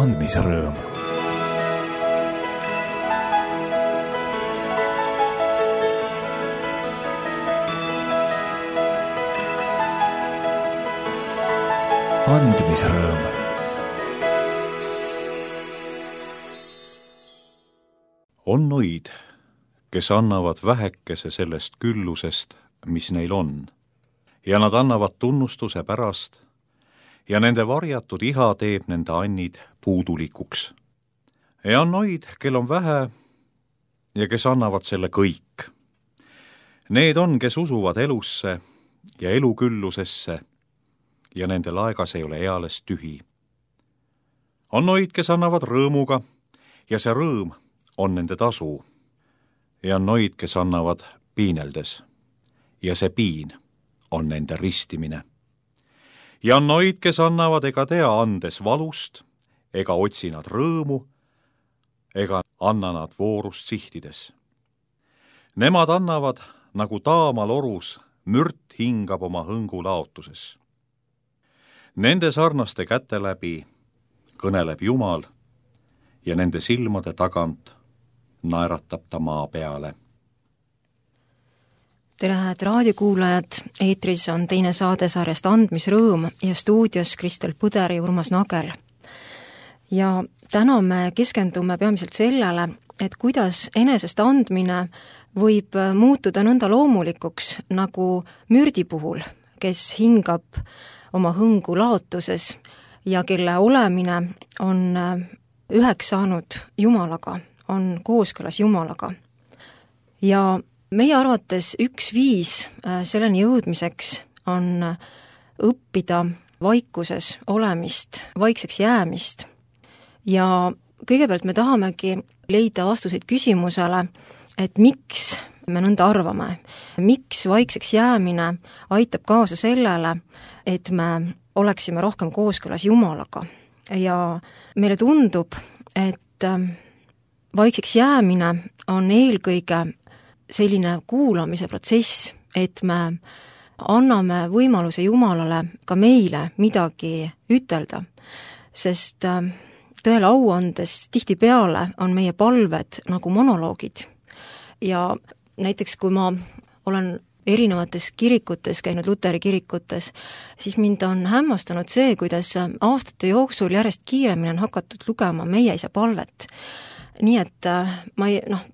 andmisrõõm. Andmisrõõm. On noid, kes annavad vähekese sellest küllusest, mis neil on, ja nad annavad tunnustuse pärast, ja nende varjatud iha teeb nende annid puudulikuks. Ja on noid, kel on vähe, ja kes annavad selle kõik. Need on, kes usuvad elusse ja eluküllusesse, ja nende laegas ei ole eales tühi. On noid, kes annavad rõõmuga, ja see rõõm on nende tasu. Ja on noid, kes annavad piineldes, ja see piin on nende ristimine. Ja on noid, kes annavad ega tea andes valust, ega otsi nad rõõmu, ega anna nad voorust sihtides. Nemad annavad, nagu taamal orus, mürt hingab oma hõngu laotuses. Nende sarnaste käte läbi kõneleb Jumal ja nende silmade tagant naeratab ta maa peale. Tere, head raadiokuulajad! Eetris on teine saade sarjast Andmisrõõm ja stuudios Kristel Põder ja Urmas Nagel. Ja täna me keskendume peamiselt sellele, et kuidas enesest andmine võib muutuda nõnda loomulikuks nagu mürdi puhul, kes hingab oma hõngu laotuses ja kelle olemine on üheks saanud Jumalaga, on kooskõlas Jumalaga. Ja meie arvates üks viis selleni jõudmiseks on õppida vaikuses olemist, vaikseks jäämist. Ja kõigepealt me tahamegi leida vastuseid küsimusele, et miks me nõnda arvame, miks vaikseks jäämine aitab kaasa sellele, et me oleksime rohkem kooskõlas Jumalaga. Ja meile tundub, et vaikseks jäämine on eelkõige selline kuulamise protsess, et me anname võimaluse Jumalale ka meile midagi ütelda, sest tõele au andes tihtipeale on meie palved nagu monoloogid. Ja näiteks kui ma olen erinevates kirikutes käinud, Luteri kirikutes, siis mind on hämmastanud see, kuidas aastate jooksul järjest kiiremini on hakatud lugema meie isa palvet. Nii et ma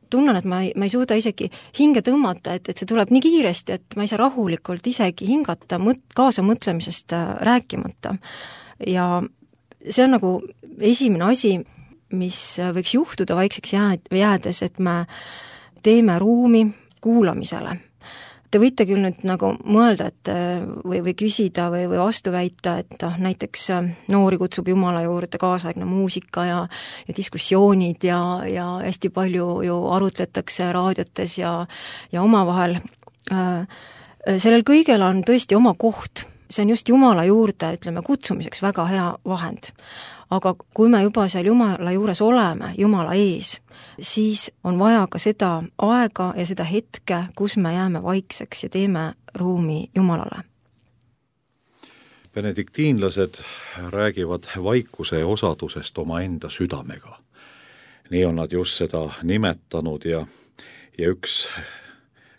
tunnen, et ma ei suuda isegi hinge tõmmata, et see tuleb nii kiiresti, et ma ei saa rahulikult isegi hingata kaasa mõtlemisest rääkimata. Ja see on nagu esimene asi, mis võiks juhtuda vaikseks jäädes, et me teeme ruumi kuulamisele. Te võite küll nüüd nagu mõelda, et või küsida või vastu väita, et näiteks noori kutsub Jumala juurde kaasaegne muusika ja diskussioonid ja hästi palju ju arutletakse raadiotes ja omavahel. Sellel kõigel on tõesti oma koht. See on just Jumala juurde, ütleme, kutsumiseks väga hea vahend. Aga kui me juba seal Jumala juures oleme, Jumala ees, siis on vaja ka seda aega ja seda hetke, kus me jääme vaikseks ja teeme ruumi Jumalale. Benediktiinlased räägivad vaikuse osadusest oma enda südamega. Nii on nad just seda nimetanud ja üks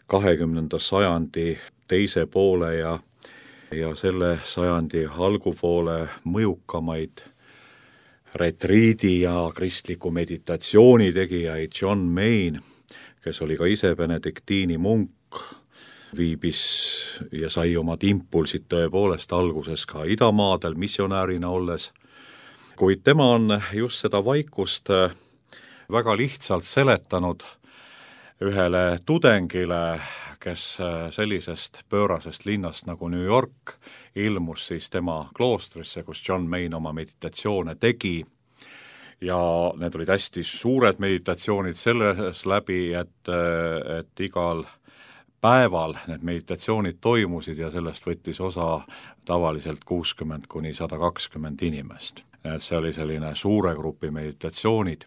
20. sajandi teise poole ja selle sajandi algupoole mõjukamaid retriidi ja kristliku meditatsiooni tegijaid John Main, kes oli ka ise benediktiini munk, viibis ja sai omad impulsid tõepoolest alguses ka idamaadel missionäärina olles, kuid tema on just seda vaikust väga lihtsalt seletanud ühele tudengile, kes sellisest pöörasest linnast nagu New York ilmus siis tema kloostrisse, kus John Main oma meditatsioone tegi. Ja need olid hästi suured meditatsioonid selles läbi, et igal päeval need meditatsioonid toimusid ja sellest võttis osa tavaliselt 60–120 inimest. See oli selline suure grupi meditatsioonid.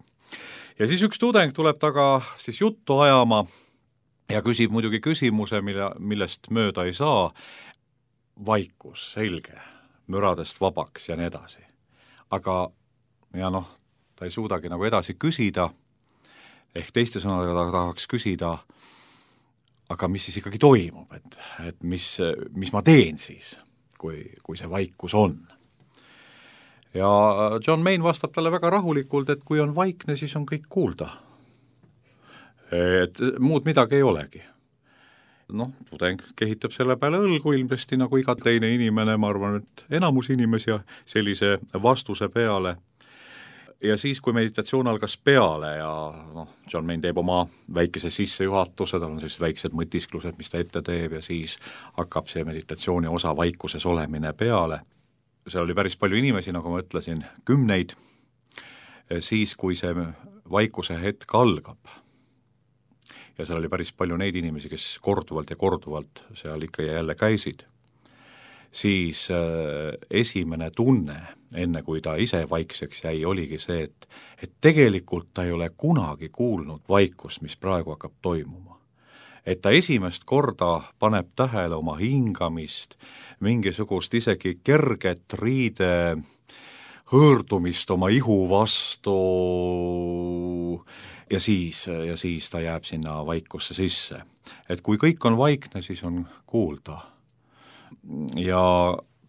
Ja siis üks tudeng tuleb taga siis juttu ajama ja küsib muidugi küsimuse, millest mööda ei saa. Vaikus, selge, müradest vabaks ja nii edasi. Aga ja noh, ta ei suudagi nagu edasi küsida, ehk teiste sõnadega ta tahaks küsida, aga mis siis ikkagi toimub, et mis ma teen siis, kui see vaikus on. Ja John Mayne vastab talle väga rahulikult, et kui on vaikne, siis on kõik kuulda. Et muud midagi ei olegi. Noh, tudeng kehitab selle peale õlgu ilmsesti nagu iga teine inimene, ma arvan, et enamus inimesi sellise vastuse peale. Ja siis, kui meditatsioon algas peale ja noh, John Mayne teeb oma väikese sissejuhatuse, tal on sellised väiksed mõtisklused, mis ta ette teeb ja siis hakkab see meditatsiooni osa vaikuses olemine peale. Seal oli päris palju inimesi, nagu ma ütlesin, 10. Siis, kui see vaikuse hetk algab, ja seal oli päris palju neid inimesi, kes korduvalt ja korduvalt seal ikka ja jälle käisid, siis esimene tunne, enne kui ta ise vaikseks jäi, oligi see, et tegelikult ta ei ole kunagi kuulnud vaikust, mis praegu hakkab toimuma. Et ta esimest korda paneb tähele oma hingamist, mingisugust isegi kerget riide hõõrdumist oma ihu vastu ja siis ta jääb sinna vaikusse sisse. Et kui kõik on vaikne, siis on kuulda. Ja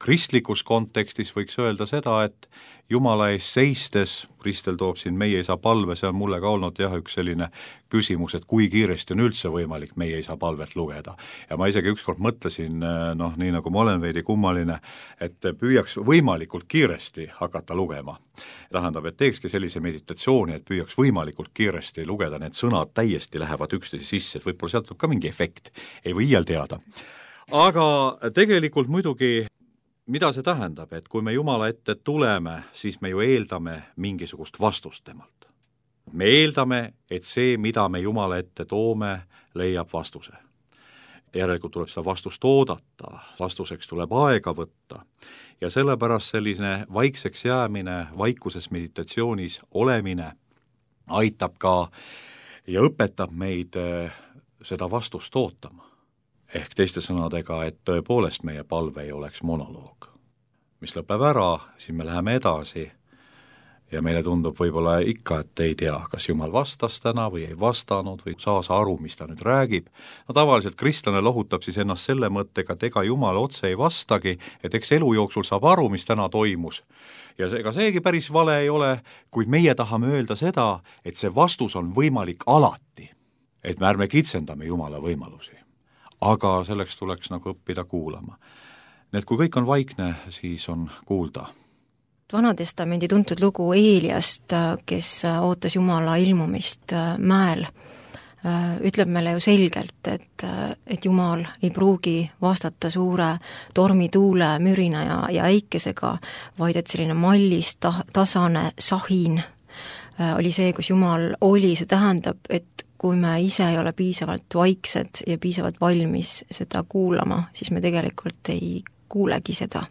kristlikus kontekstis võiks öelda seda, et Jumala ees seistes, Kristel toob siin meie isa palve, see on mulle ka olnud üks selline küsimus, et kui kiiresti on üldse võimalik meie isa palvet lugeda. Ja ma isegi ükskord mõtlesin, noh, nii nagu ma olen veidi kummaline, et püüaks võimalikult kiiresti hakata lugema. Tähendab, et teekski sellise meditatsiooni, et püüaks võimalikult kiiresti lugeda, need sõnad täiesti lähevad üksteise sisse, et võib-olla sealt ka mingi efekt, ei või iial teada. Aga tegelikult muidugi mida see tähendab, et kui me Jumala ette tuleme, siis me ju eeldame mingisugust vastust temalt. Me eeldame, et see, mida me Jumala ette toome, leiab vastuse. Järelikult tuleb seda vastust oodata, vastuseks tuleb aega võtta ja sellepärast selline vaikseks jäämine, vaikuses meditatsioonis olemine aitab ka ja õpetab meid seda vastust ootama. Ehk teiste sõnadega, et tõepoolest meie palve ei oleks monoloog, mis lõpeb ära, siis me läheme edasi ja meile tundub võib-olla ikka, et ei tea, kas Jumal vastas täna või ei vastanud või saa aru, mis ta nüüd räägib. No tavaliselt kristlane lohutab siis ennast selle mõttega, et ega Jumal otse ei vastagi, et eks elu jooksul saab aru, mis täna toimus. Ja ega seegi päris vale ei ole, kuid meie tahame öelda seda, et see vastus on võimalik alati, et me ärme kitsendame Jumala võimalusi. Aga selleks tuleks nagu õppida kuulama. Nii et kui kõik on vaikne, siis on kuulda. Vanatestamendi tuntud lugu Eeliast, kes ootas Jumala ilmumist mäel, ütleb meile ju selgelt, et Jumal ei pruugi vastata suure tormituule, mürina ja äikesega, vaid et selline mallis, tasane sahin oli see, kus Jumal oli. See tähendab, et kui me ise ei ole piisavalt vaiksed ja piisavalt valmis seda kuulama, siis me tegelikult ei kuulegi seda.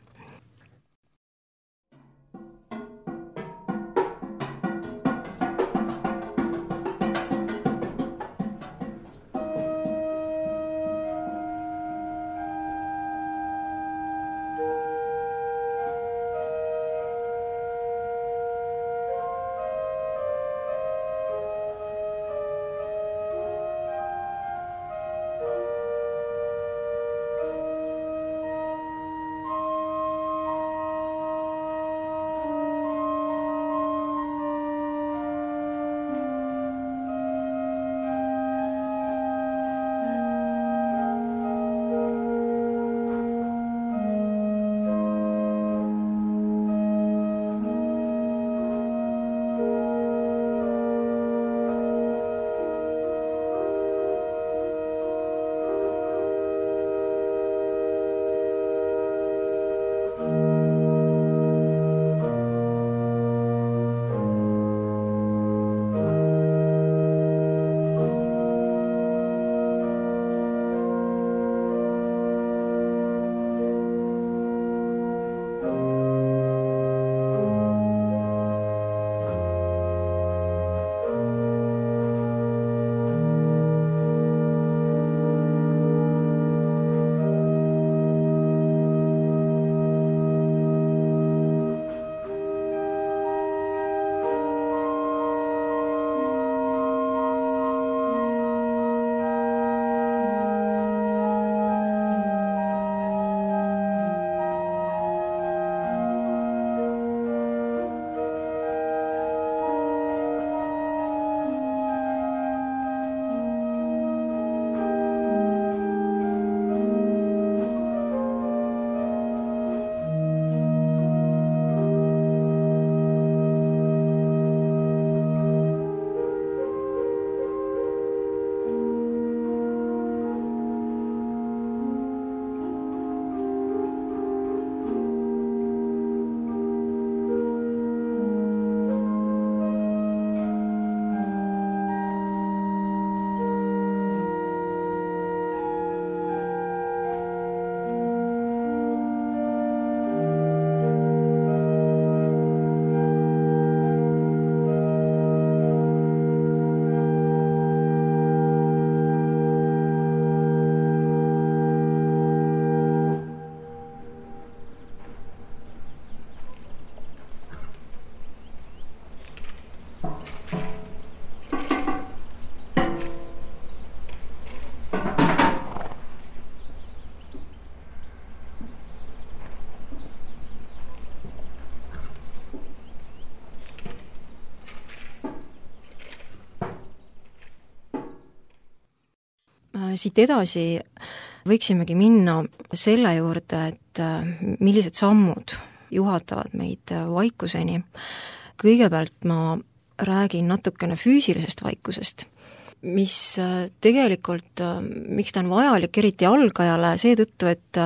Siit edasi võiksimegi minna selle juurde, et millised sammud juhatavad meid vaikuseni. Kõigepealt ma räägin natukene füüsilisest vaikusest, mis tegelikult, miks ta on vajalik, eriti algajale, seetõttu, et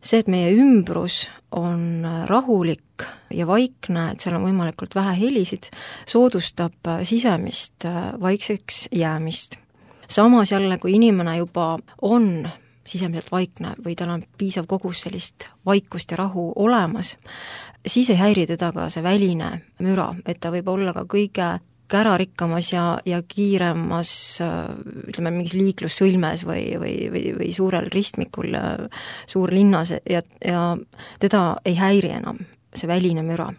see, et meie ümbrus on rahulik ja vaikne, et seal on võimalikult vähe helisid, soodustab sisemist vaikseks jäämist. Samas jälle, kui inimene juba on sisemiselt vaikne või tal on piisav kogus sellist vaikust ja rahu olemas, siis ei häiri teda ka see väline müra, et ta võib olla ka kõige kärarikkamas ja kiiremas, ütleme, mingis liiklussõlmes või suurel ristmikul suurlinnas ja teda ei häiri enam see väline müra.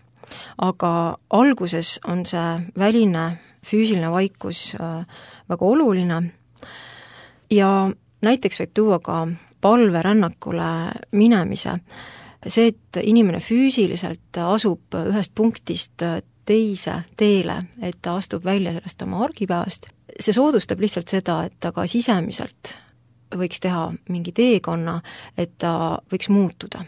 Aga alguses on see väline füüsiline vaikus väga oluline ja näiteks võib tuua ka palverännakule minemise. See, et inimene füüsiliselt asub ühest punktist teise teele, et ta astub välja sellest oma argipäevast, see soodustab lihtsalt seda, et ta ka sisemiselt võiks teha mingi teekonna, et ta võiks muutuda.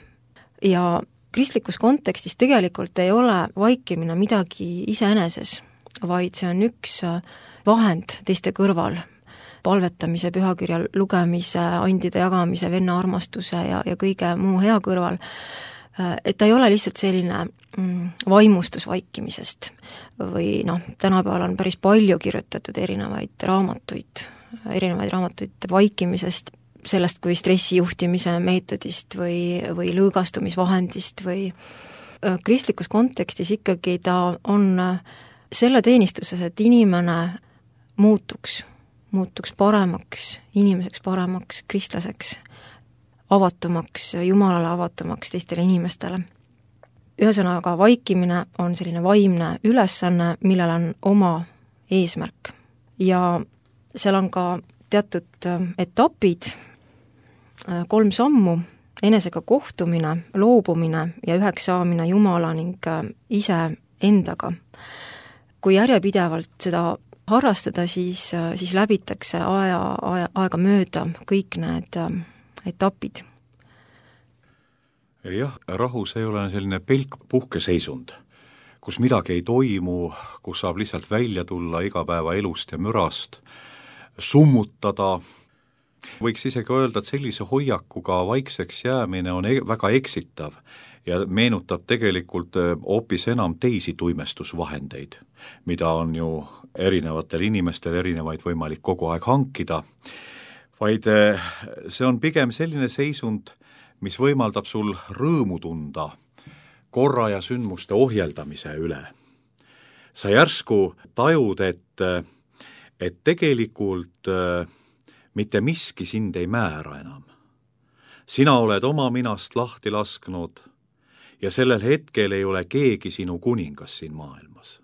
Ja kristlikus kontekstis tegelikult ei ole vaikimine midagi iseeneses, vaid see on üks vahend teiste kõrval, palvetamise, pühakirja lugemise, andide jagamise, venna armastuse ja kõige muu hea kõrval, et ta ei ole lihtsalt selline vaimustus vaikimisest või tänapäeval on päris palju kirjutatud erinevaid raamatuid vaikimisest, sellest kui stressijuhtimise meetodist või lõõgastumisvahendist või kristlikus kontekstis ikkagi ta on selle teenistuses, et inimene muutuks paremaks, inimeseks paremaks, kristlaseks, avatumaks, Jumalale avatumaks teistele inimestele. Ühesõnaga, vaikimine on selline vaimne ülesanne, millel on oma eesmärk. Ja seal on ka teatud etapid, 3 sammu, enesega kohtumine, loobumine ja üheks saamine Jumala ning ise endaga. Kui järjepidevalt seda harrastada, siis läbitakse aega mööda kõik need etapid. Jah, rahus ei ole selline pelk puhkeseisund, kus midagi ei toimu, kus saab lihtsalt välja tulla igapäeva elust ja mürast, summutada. Võiks isegi öelda, et sellise hoiakuga vaikseks jäämine on väga eksitav ja meenutab tegelikult hoopis enam teisi tuimestusvahendeid, mida on ju erinevatel inimestel erinevaid võimalik kogu aeg hankida, vaid see on pigem selline seisund, mis võimaldab sul rõõmu tunda korra ja sündmuste ohjeldamise üle. Sa järsku tajud, et tegelikult mitte miski sind ei määra enam. Sina oled oma minast lahti lasknud ja sellel hetkel ei ole keegi sinu kuningas siin maailmas.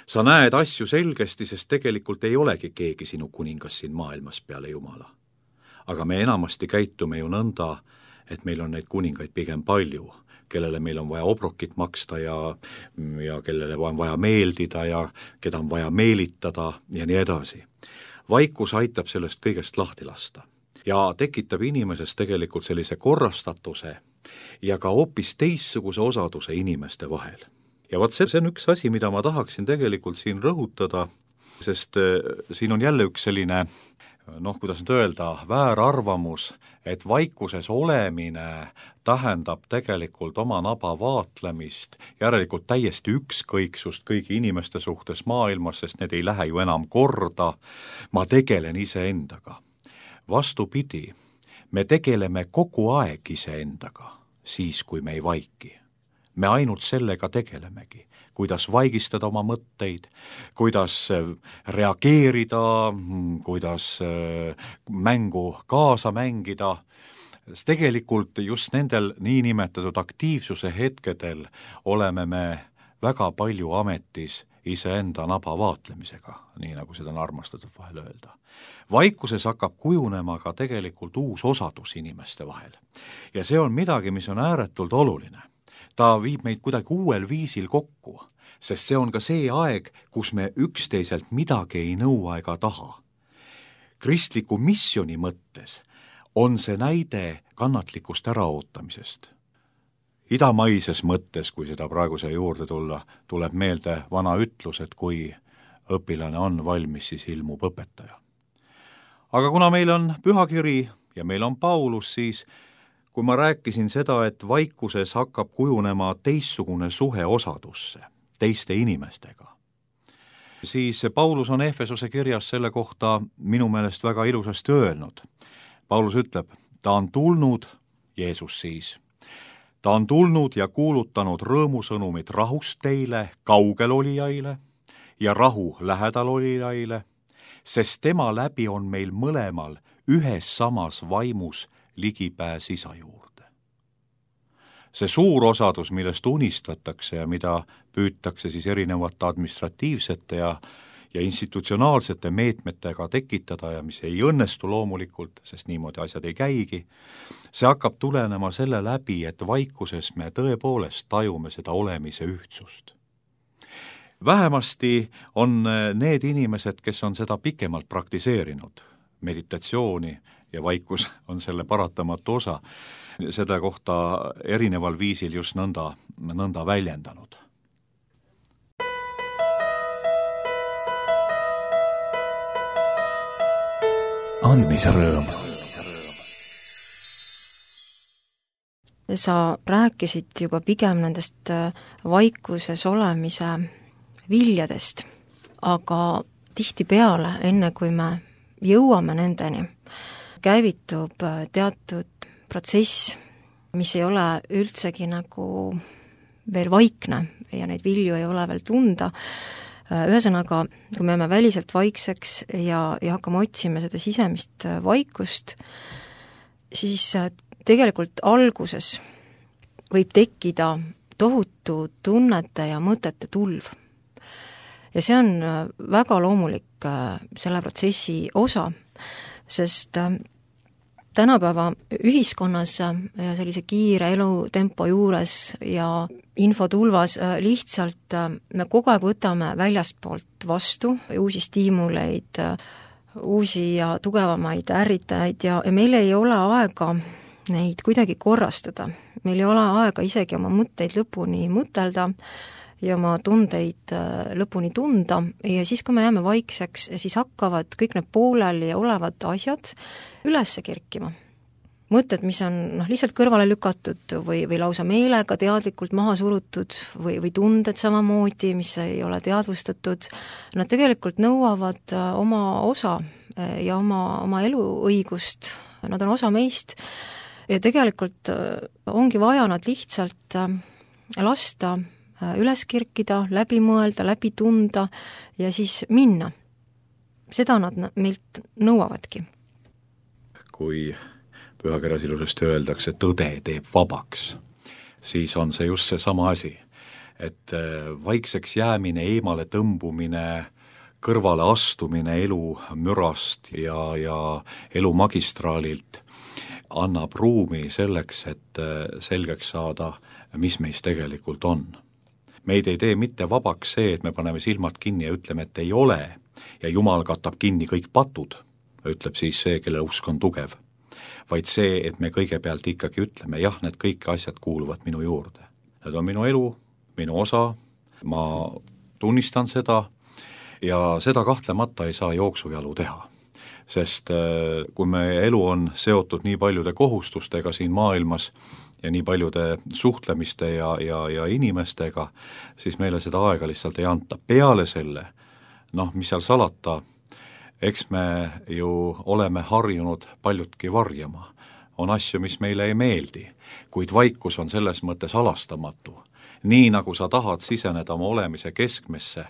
Sa näed asju selgesti, sest tegelikult ei olegi keegi sinu kuningas siin maailmas peale Jumala. Aga me enamasti käitume ju nõnda, et meil on neid kuningaid pigem palju, kellele meil on vaja obrokit maksta ja kellele on vaja meeldida ja keda on vaja meelitada ja nii edasi. Vaikus aitab sellest kõigest lahti lasta ja tekitab inimeses tegelikult sellise korrastatuse ja ka hoopis teistsuguse osaduse inimeste vahel. Ja vot see on üks asi, mida ma tahaksin tegelikult siin rõhutada, sest siin on jälle üks selline, kuidas nüüd öelda, väärarvamus, et vaikuses olemine tähendab tegelikult oma naba vaatlemist, järelikult täiesti ükskõiksust kõigi inimeste suhtes maailmas, sest need ei lähe ju enam korda, ma tegelen iseendaga. Vastupidi, me tegeleme kogu aeg iseendaga, siis kui me ei vaiki. Me ainult sellega tegelemegi, kuidas vaigistada oma mõtteid, kuidas reageerida, kuidas mängu kaasa mängida. Tegelikult just nendel niinimetatud aktiivsuse hetkedel oleme me väga palju ametis iseenda naba vaatlemisega, nii nagu seda on armastatud vahel öelda. Vaikuses hakkab kujunema ka tegelikult uus osadus inimeste vahel. Ja see on midagi, mis on ääretult oluline. Ta viib meid kuidagi uuel viisil kokku, sest see on ka see aeg, kus me üksteiselt midagi ei nõua ega taha. kristliku missioni mõttes on see näide kannatlikust äraootamisest. Idamaises mõttes, kui seda praeguse juurde tulla, tuleb meelde vana ütlus, et kui õpilane on valmis, siis ilmub õpetaja. Aga kuna meil on pühakiri ja meil on Paulus, siis kui ma rääkisin seda, et vaikuses hakkab kujunema teistsugune suhe osadusse teiste inimestega, siis Paulus on Efesose kirjas selle kohta minu meelest väga ilusasti öelnud. Paulus ütleb, ta on tulnud, Jeesus siis, ta on tulnud ja kuulutanud rõõmusõnumit rahust teile, kaugel olijaile ja rahu lähedal olijaile, sest tema läbi on meil mõlemal ühes samas vaimus ligipääs isa juurde. See suur osadus, millest unistatakse ja mida püütakse siis erinevate administratiivsete ja institutsionaalsete meetmetega tekitada ja mis ei õnnestu loomulikult, sest niimoodi asjad ei käigi, see hakkab tulenema selle läbi, et vaikuses me tõepoolest tajume seda olemise ühtsust. Vähemasti on need inimesed, kes on seda pikemalt praktiseerinud, meditatsiooni ja vaikus on selle paratamatu osa, seda kohta erineval viisil just nõnda väljendanud. Andmisrõõm. Sa rääkisid juba pigem nendest vaikuses olemise viljadest, aga tihtipeale, enne kui me jõuame nendeni, käivitub teatud protsess, mis ei ole üldsegi nagu veel vaikne ja neid vilju ei ole veel tunda. Ühesõnaga, kui me jääme väliselt vaikseks ja hakkame otsima seda sisemist vaikust, siis tegelikult alguses võib tekkida tohutu tunnete ja mõtete tulv. Ja see on väga loomulik selle protsessi osa, sest tänapäeva ühiskonnas ja sellise kiire elutempo juures ja infotulvas lihtsalt me kogu aeg võtame väljastpoolt vastu uusi stiimuleid, uusi ja tugevamaid ärritajaid ja meil ei ole aega neid kuidagi korrastada. Meil ei ole aega isegi oma mõtteid lõpuni mõtelda ja oma tundeid lõpuni tunda ja siis, kui me jääme vaikseks, siis hakkavad kõik need pooleli olevad asjad üles kerkima. Mõtted, mis on lihtsalt kõrvale lükatud või lausa meelega teadlikult maha surutud või tunded samamoodi, mis ei ole teadvustatud, nad tegelikult nõuavad oma osa ja oma eluõigust, nad on osa meist ja tegelikult ongi vaja nad lihtsalt lasta üles kerkida, läbi mõelda, läbi tunda ja siis minna. Seda nad meilt nõuavadki. Kui pühakirjas ilusasti öeldakse, tõde teeb vabaks, siis on see just see sama asi, et vaikseks jäämine, eemale tõmbumine, kõrvale astumine elu mürast ja elu magistraalilt annab ruumi selleks, et selgeks saada, mis meis tegelikult on. Meid ei tee mitte vabaks see, et me paneme silmad kinni ja ütleme, et ei ole ja Jumal katab kinni kõik patud, ütleb siis see, kelle usk on tugev, vaid see, et me kõigepealt ikkagi ütleme, jah, need kõik asjad kuuluvad minu juurde. Need on minu elu, minu osa, ma tunnistan seda ja seda kahtlemata ei saa jooksujalu teha. Sest kui meie elu on seotud nii paljude kohustustega siin maailmas ja nii paljude suhtlemiste ja inimestega, siis meile seda aega lihtsalt ei anta. Peale selle, mis seal salata, eks me ju oleme harjunud paljutki varjama. On asju, mis meile ei meeldi, kuid vaikus on selles mõttes alastamatu. Nii nagu sa tahad siseneda oma olemise keskmesse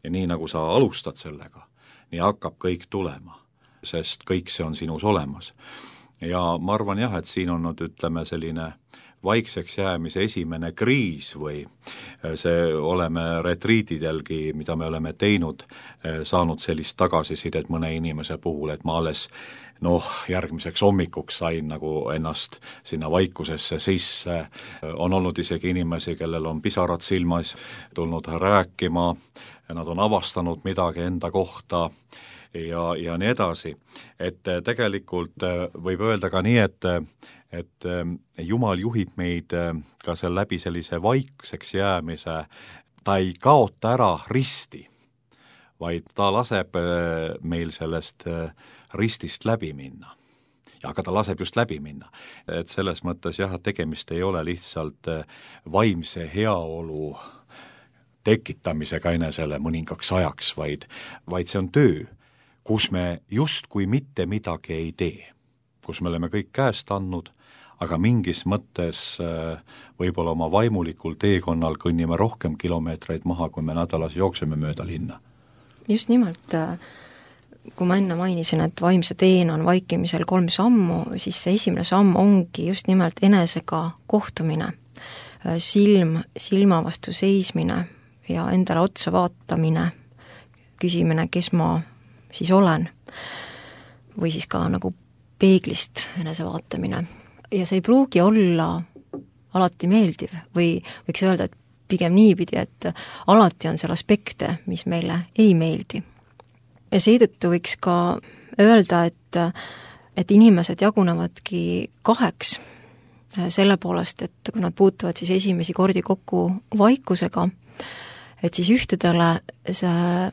ja nii nagu sa alustad sellega, nii hakkab kõik tulema, sest kõik see on sinus olemas. Ja ma arvan jah, et siin on ütleme selline vaikseks jäämise esimene kriis või see oleme retriitidelgi, mida me oleme teinud, saanud sellist tagasisidet mõne inimese puhul, et ma alles järgmiseks hommikuks sain nagu ennast sinna vaikusesse sisse. On olnud isegi inimesi, kellel on pisarad silmas tulnud rääkima ja nad on avastanud midagi enda kohta ja nii edasi. Et tegelikult võib öelda ka nii, et Jumal juhib meid ka seal läbi sellise vaikseks jäämise, ta ei kaota ära risti, vaid ta laseb meil sellest ristist läbi minna. Aga ta laseb just läbi minna. Et selles mõttes jah, tegemist ei ole lihtsalt vaimse heaolu tekitamisega enesele mõningaks ajaks, vaid see on töö, kus me justkui mitte midagi ei tee, kus me oleme kõik käest andnud, aga mingis mõttes võib-olla oma vaimulikul teekonnal kõnnime rohkem kilomeetreid maha, kui me nädalas jookseme mööda linna. Just nimelt, kui ma enne mainisin, et vaimse teena on vaikimisel 3 sammu, siis see esimene samm ongi just nimelt enesega kohtumine, silm silma vastu seismine ja endale otsa vaatamine, küsimine, kes ma siis olen, või siis ka nagu peeglist enese vaatamine. Ja see ei pruugi olla alati meeldiv või võiks öelda, et pigem niipidi, et alati on seal aspekte, mis meile ei meeldi. Ja seetõttu võiks ka öelda, et inimesed jagunevadki 2 selle poolest, et kui nad puutuvad siis esimesi kordi kokku vaikusega, et siis ühtedele see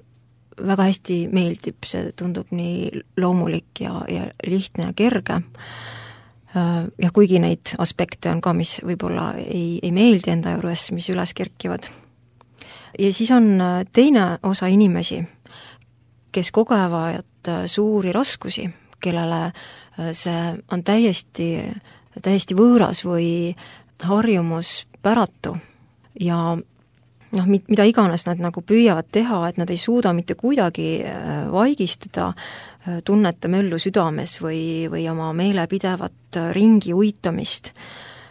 väga hästi meeldib, see tundub nii loomulik ja lihtne ja kerge. Ja kuigi neid aspekte on ka, mis võib-olla ei meeldi enda juures, mis üles kerkivad. Ja siis on teine osa inimesi, kes kogevad suuri raskusi, kellele see on täiesti võõras või harjumuspäratu ja mida iganes nad nagu püüavad teha, et nad ei suuda mitte kuidagi vaigistada tunnete möllu südames või oma meele pidevat ringi uitamist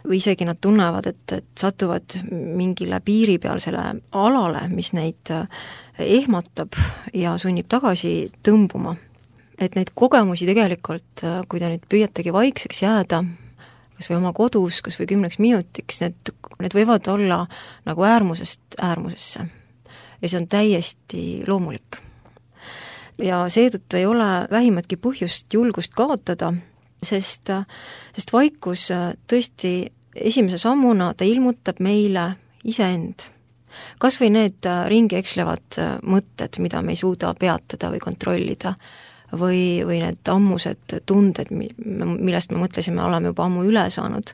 või isegi nad tunnevad, et satuvad mingile piiripealsele alale, mis neid ehmatab ja sunnib tagasi tõmbuma. Et neid kogemusi tegelikult, kui te nüüd püüategi vaikseks jääda, kas või oma kodus, kas või 10 minutiks, need võivad olla nagu äärmusest äärmusesse. Ja see on täiesti loomulik. Ja seetõttu ei ole vähimatki põhjust julgust kaotada, sest vaikus tõesti esimese sammuna ta ilmutab meile iseend. Kas või need ringi ekslevad mõtted, mida me ei suuda peatada või kontrollida, või need ammused tunded, millest me mõtlesime, oleme juba ammu üle saanud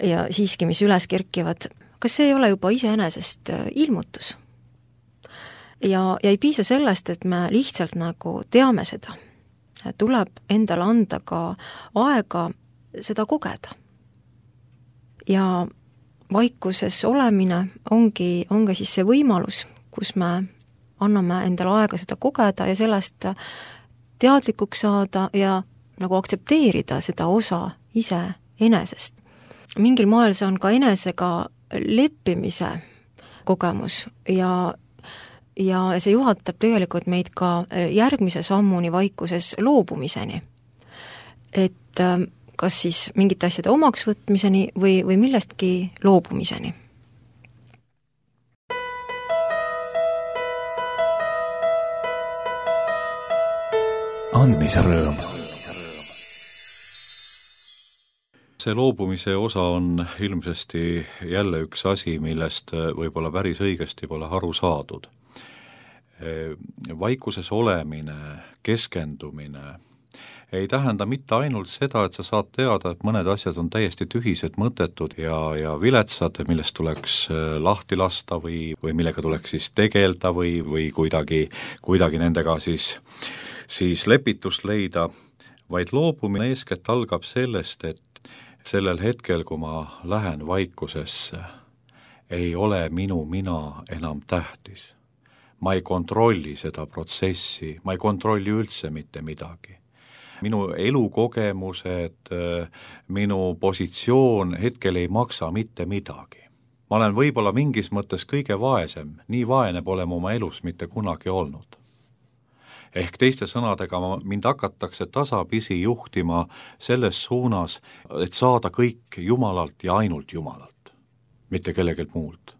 ja siiski, mis üles kerkivad, kas see ei ole juba iseenesest ilmutus? Ja ei piisa sellest, et me lihtsalt nagu teame seda. Tuleb endale anda ka aega seda kogeda. Ja vaikuses olemine ongi siis see võimalus, kus me anname endale aega seda kogeda ja sellest teadlikuks saada ja nagu aktsepteerida seda osa ise enesest. Mingil moel see on ka enesega leppimise kogemus ja see juhatab tegelikult meid ka järgmise sammuni vaikuses loobumiseni. Et kas siis mingite asjade omaks võtmiseni või millestki loobumiseni. Andmise rõõm. See loobumise osa on ilmsesti jälle üks asi, millest võib-olla päris õigesti pole aru saadud. Vaikuses olemine, keskendumine ei tähenda mitte ainult seda, et sa saad teada, et mõned asjad on täiesti tühised, mõttetud ja viletsad, millest tuleks lahti lasta või millega tuleks siis tegelda või kuidagi nendega siis lepitust leida, vaid loobumine eeskätt algab sellest, et sellel hetkel, kui ma lähen vaikusesse, ei ole minu mina enam tähtis. Ma ei kontrolli seda protsessi, ma ei kontrolli üldse mitte midagi. Minu elukogemused, minu positsioon hetkel ei maksa mitte midagi. Ma olen võib-olla mingis mõttes kõige vaesem, nii vaene pole ma oma elus mitte kunagi olnud. Ehk teiste sõnadega mind hakatakse tasapisi juhtima selles suunas, et saada kõik Jumalalt ja ainult Jumalalt, mitte kellegelt muult.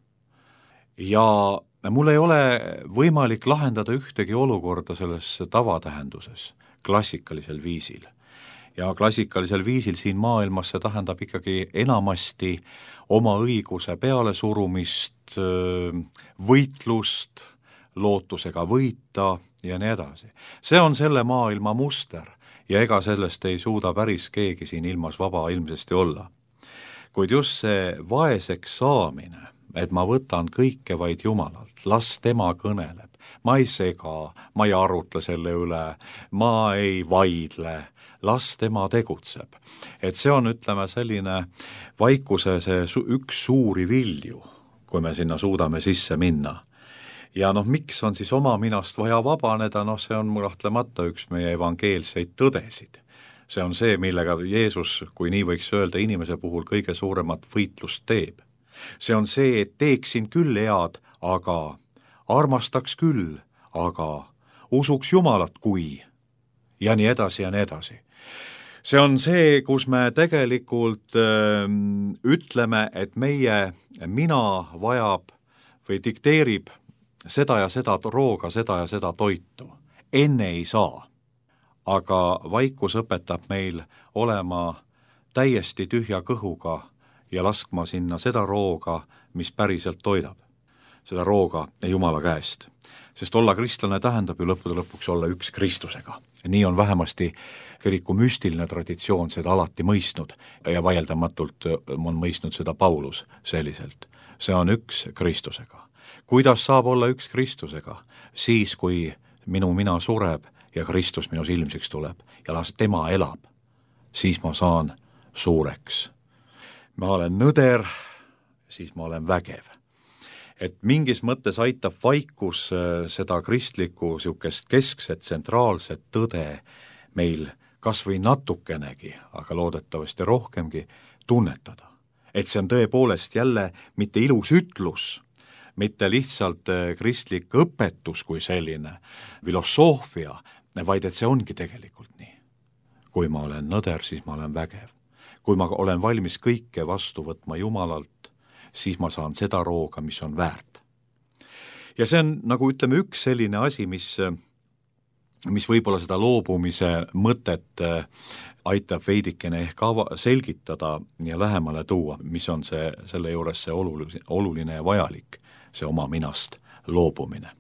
Ja mul ei ole võimalik lahendada ühtegi olukorda selles tavatähenduses, klassikalisel viisil. Ja klassikalisel viisil siin maailmas see tähendab ikkagi enamasti oma õiguse pealesurumist, võitlust, lootusega võita ja nii edasi. See on selle maailma muster ja ega sellest ei suuda päris keegi siin ilmas vaba ilmsesti olla. Kuid just see vaeseks saamine, et ma võtan kõike vaid Jumalalt, las tema kõneleb, ma ei sega, ma ei arutle selle üle, ma ei vaidle, las tema tegutseb. Et see on, ütleme, selline vaikuse see üks suuri vilju, kui me sinna suudame sisse minna. Ja miks on siis oma minast vaja vabaneda, see on kahtlemata üks meie evangeelseid tõdesid. See on see, millega Jeesus, kui nii võiks öelda, inimese puhul kõige suuremat võitlust teeb. See on see, et teeksin küll head, aga armastaks küll, aga usuks Jumalat kui ja nii edasi ja nii edasi. See on see, kus me tegelikult ütleme, et meie mina vajab või dikteerib seda ja seda rooga, seda ja seda toitu. Enne ei saa. Aga vaikus õpetab meil olema täiesti tühja kõhuga ja laskma sinna seda rooga, mis päriselt toidab. Seda rooga Jumala käest. Sest olla kristlane tähendab ju lõppude lõpuks olla üks Kristusega. Nii on vähemasti kiriku müstiline traditsioon seda alati mõistnud ja vaieldamatult on mõistnud seda Paulus selliselt. See on üks Kristusega. Kuidas saab olla üks Kristusega? Siis, kui minu mina sureb ja Kristus minus ilmsiks tuleb ja las tema elab, siis ma saan suureks. Ma olen nõder, siis ma olen vägev. Et mingis mõttes aitab vaikus seda kristlikku sihukest keskset, tsentraalset tõde meil kas või natukenegi, aga loodetavasti rohkemgi tunnetada. Et see on tõepoolest jälle mitte ilus ütlus, mitte lihtsalt kristlik õpetus kui selline, filosoofia, vaid et see ongi tegelikult nii. Kui ma olen nõder, siis ma olen vägev. Kui ma olen valmis kõike vastu võtma Jumalalt, siis ma saan seda rooga, mis on väärt. Ja see on, nagu ütleme, üks selline asi, mis võib-olla seda loobumise mõtet aitab veidikene ehk selgitada ja lähemale tuua, mis on selle juures see oluline ja vajalik, see oma minast loobumine.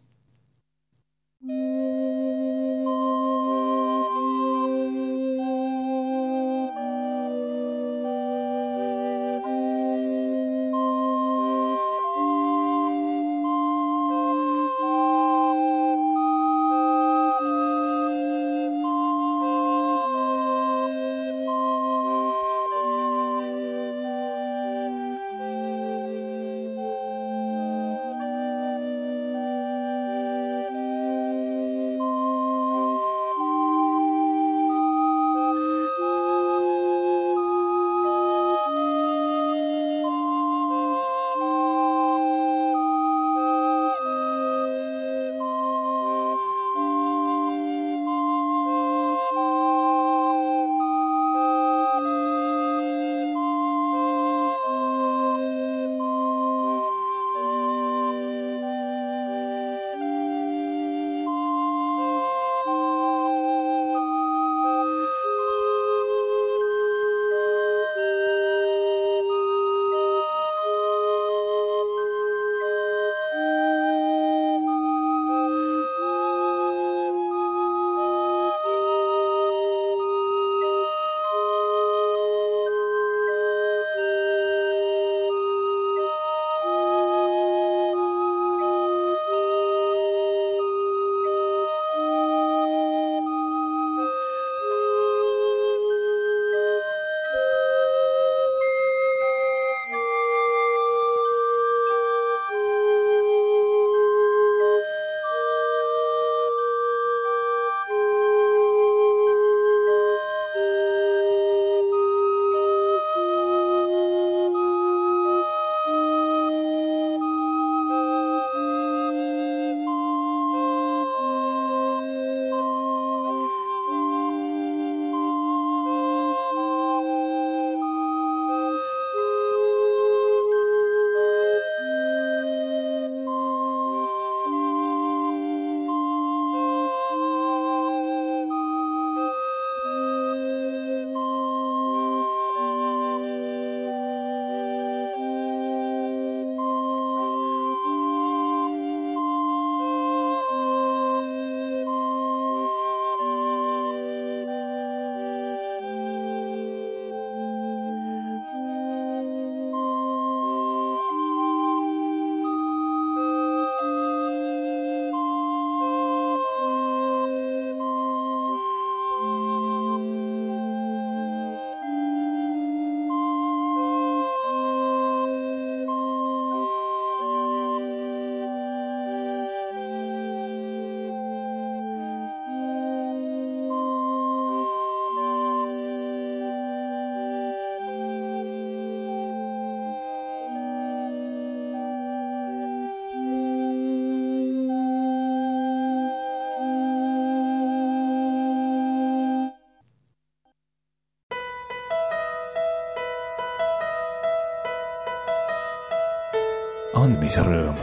andmise rõõm.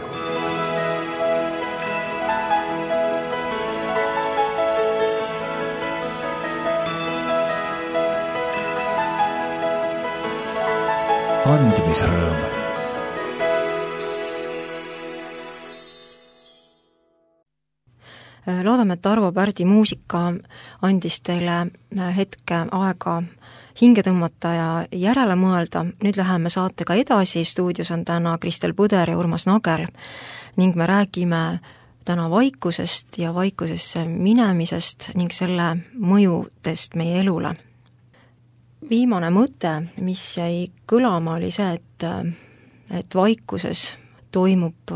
andmise rõõm. Loodame, et Arvo Pärdi muusika andis teile hetke aega hinge tõmmata ja järele mõelda. Nüüd läheme saatega edasi, stuudios on täna Kristel Põder ja Urmas Nagel ning me räägime täna vaikusest ja vaikusesse minemisest ning selle mõjudest meie elule. Viimane mõte, mis jäi kõlama, oli see, et vaikuses toimub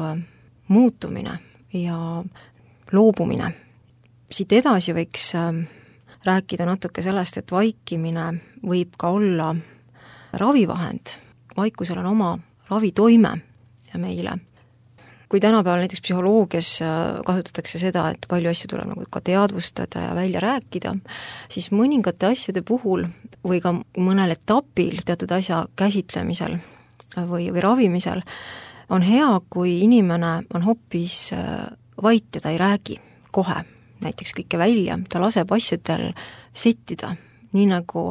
muutumine ja loobumine. Siit edasi võiks rääkida natuke sellest, et vaikimine võib ka olla ravivahend. Vaikusel on oma ravitoime meile. Kui tänapäeval näiteks psühholoogias kasutatakse seda, et palju asju tuleb nagu ka teadvustada ja välja rääkida, siis mõningate asjade puhul või ka mõnel etapil teatud asja käsitlemisel või ravimisel on hea, kui inimene on hoopis vait ja ta ei räägi kohe näiteks kõike välja, ta laseb asjadel settida, nii nagu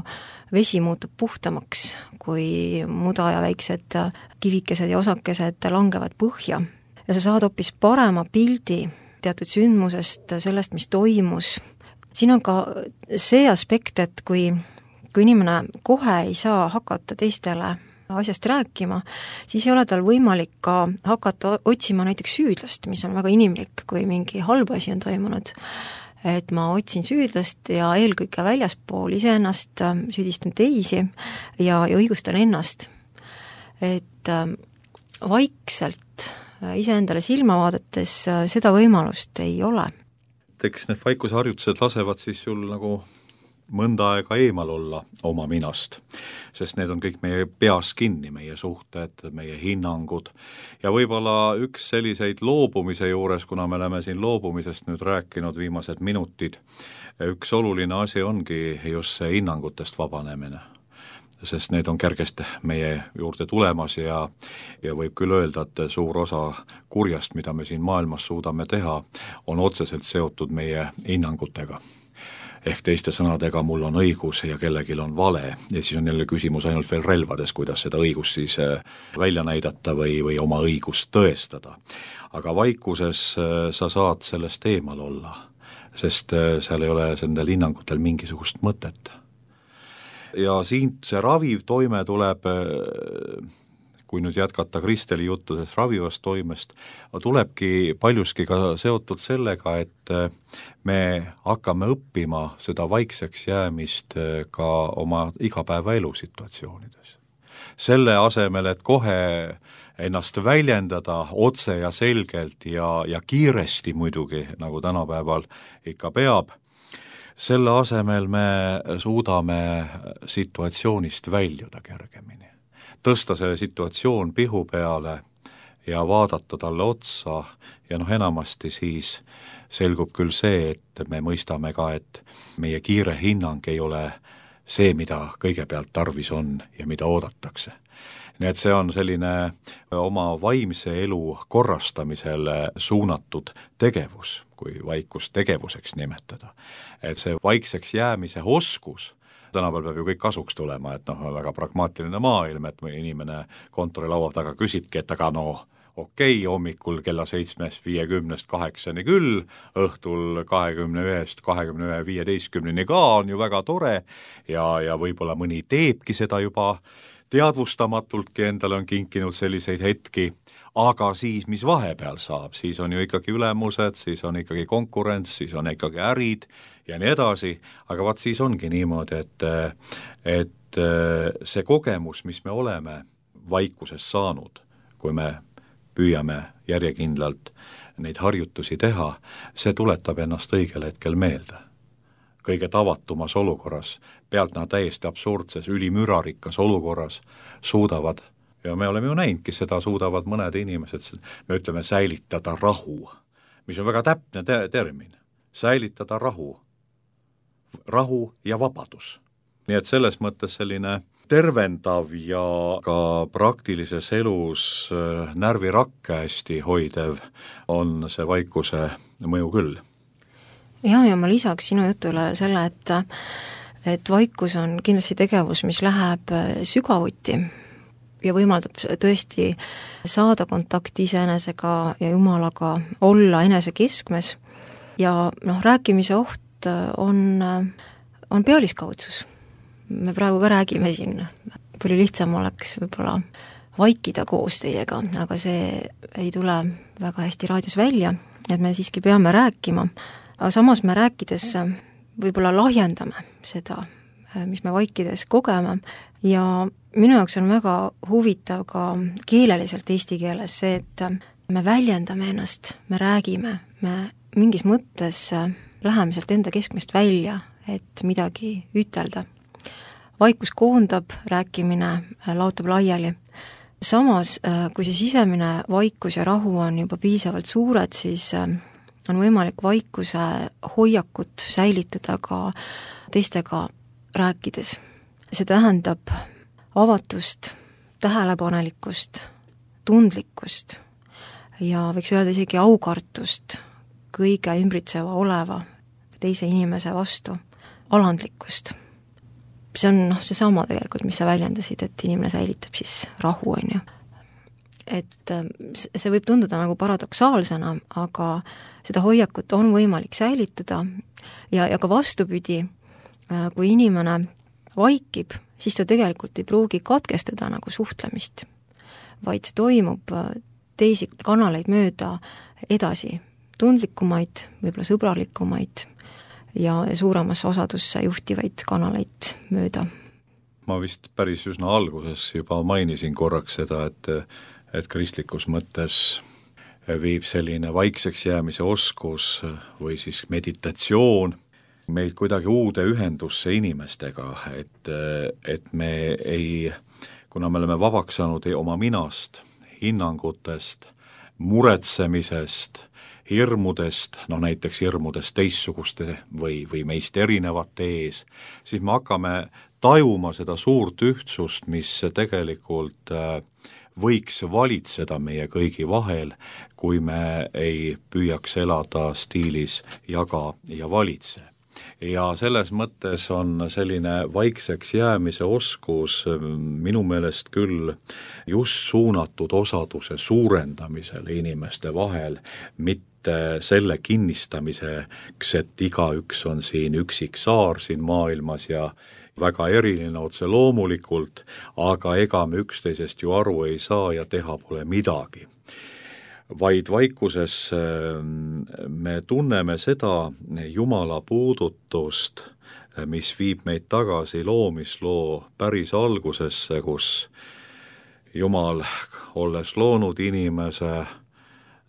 vesi muutub puhtamaks, kui muda ja väiksed kivikesed ja osakesed langevad põhja. Ja sa saad hoopis parema pildi teatud sündmusest, sellest, mis toimus. Siin on ka see aspekt, et kui inimene kohe ei saa hakata teistele asjast rääkima, siis ei ole tal võimalik ka hakata otsima näiteks süüdlast, mis on väga inimlik, kui mingi halb asi on toimunud. Et ma otsin süüdlast ja eelkõige väljaspool iseennast süüdistan teisi ja õigustan ennast. Et vaikselt iseendale silma vaadates seda võimalust ei ole. Eks need vaikusharjutused lasevad siis sul nagu mõnda aega eemal olla oma minast, sest need on kõik meie peas kinni, meie suhted, meie hinnangud ja võib-olla üks selliseid loobumise juures, kuna me oleme siin loobumisest nüüd rääkinud viimased minutid, üks oluline asi ongi just see hinnangutest vabanemine, sest need on kergesti meie juurde tulemas ja võib küll öelda, et suur osa kurjast, mida me siin maailmas suudame teha, on otseselt seotud meie hinnangutega. Ehk teiste sõnadega mul on õigus ja kellelgi on vale ja siis on jälle küsimus ainult veel relvades, kuidas seda õigust siis välja näidata või oma õigust tõestada. Aga vaikuses sa saad sellest eemal olla, sest seal ei ole nendel hinnangutel mingisugust mõtet. Ja siin see raviv toime tuleb, kui nüüd jätkata Kristeli juttudes ravivast toimest, tulebki paljuski ka seotud sellega, et me hakkame õppima seda vaikseks jäämist ka oma igapäevaelu situatsioonides. Selle asemel, et kohe ennast väljendada otse ja selgelt ja kiiresti muidugi, nagu tänapäeval ikka peab, selle asemel me suudame situatsioonist väljuda kergemini. Tõsta see situatsioon pihu peale ja vaadata talle otsa ja enamasti siis selgub küll see, et me mõistame ka, et meie kiire hinnang ei ole see, mida kõigepealt tarvis on ja mida oodatakse. Nii et see on selline oma vaimse elu korrastamisele suunatud tegevus, kui vaikust tegevuseks nimetada. Et see vaikseks jäämise oskus, tänapäeval peab ju kõik kasuks tulema, et väga pragmaatiline maailm, et inimene kontorilaua taga küsibki, et aga okei, hommikul kella 7:50 8 küll, õhtul 21, 15 ka on ju väga tore ja võib-olla mõni teebki seda juba teadvustamatultki, endale on kinkinud selliseid hetki, aga siis, mis vahepeal saab, siis on ju ikkagi ülemused, siis on ikkagi konkurents, siis on ikkagi ärid ja nii edasi, aga vaat siis ongi niimoodi, et see kogemus, mis me oleme vaikuses saanud, kui me püüame järjekindlalt neid harjutusi teha, see tuletab ennast õigel hetkel meelde. Kõige tavatumas olukorras, pealtnäha täiesti absurdses, ülimürarikkas olukorras suudavad, ja me oleme ju näinudki seda, suudavad mõned inimesed, me ütleme säilitada rahu, mis on väga täpne termin, säilitada rahu ja vabadus. Nii et selles mõttes selline tervendav ja ka praktilises elus närvirakke hästi hoidev on see vaikuse mõju küll. Ja ma lisaks sinu jutule selle, et vaikus on kindlasti tegevus, mis läheb sügavuti ja võimaldab tõesti saada kontakti iseenesega ja Jumalaga, olla enese keskmes ja rääkimise oht on pealiskaudsus. Me praegu ka räägime siin, palju lihtsam oleks võib-olla vaikida koos teiega, aga see ei tule väga hästi raadios välja, et me siiski peame rääkima, aga samas me rääkides võib-olla lahjendame seda, mis me vaikides kogeme ja minu jaoks on väga huvitav ka keeleliselt eesti keeles see, et me väljendame ennast, me räägime, me mingis mõttes läheme sealt enda keskmest välja, et midagi ütelda. Vaikus koondab, rääkimine laotab laiali. Samas, kui see sisemine vaikus ja rahu on juba piisavalt suured, siis on võimalik vaikuse hoiakut säilitada ka teistega rääkides. See tähendab avatust, tähelepanelikkust, tundlikkust ja võiks öelda isegi aukartust kõige ümbritseva oleva teise inimese vastu, alandlikkust. See on seesama tegelikult, mis sa väljendasid, et inimene säilitab siis rahu, on ju. Et see võib tunduda nagu paradoksaalsena, aga seda hoiakut on võimalik säilitada ja ka vastupidi, kui inimene vaikib, siis ta tegelikult ei pruugi katkestada nagu suhtlemist, vaid see toimub teisi kanaleid mööda edasi, tundlikumaid, võib-olla sõbralikumaid ja suuremasse osadusse juhtivaid kanaleid mööda. Ma vist päris üsna alguses juba mainisin korraks seda, et kristlikus mõttes viib selline vaikseks jäämise oskus või siis meditatsioon meid kuidagi uude ühendusse inimestega, et me ei, kuna me oleme vabaks saanud oma minast, hinnangutest, muretsemisest, hirmudest, näiteks hirmudest teistsuguste või meist erinevate ees, siis me hakkame tajuma seda suurt ühtsust, mis tegelikult võiks valitseda meie kõigi vahel, kui me ei püüaks elada stiilis jaga ja valitse. Ja selles mõttes on selline vaikseks jäämise oskus minu meelest küll just suunatud osaduse suurendamisele inimeste vahel, mitte selle kinnistamiseks, et igaüks on siin üksik saar siin maailmas ja väga eriline otse loomulikult, aga ega me üksteisest ju aru ei saa ja teha pole midagi. Vaid vaikuses me tunneme seda Jumala puudutust, mis viib meid tagasi loomisloo päris algusesse, kus Jumal, olles loonud inimese,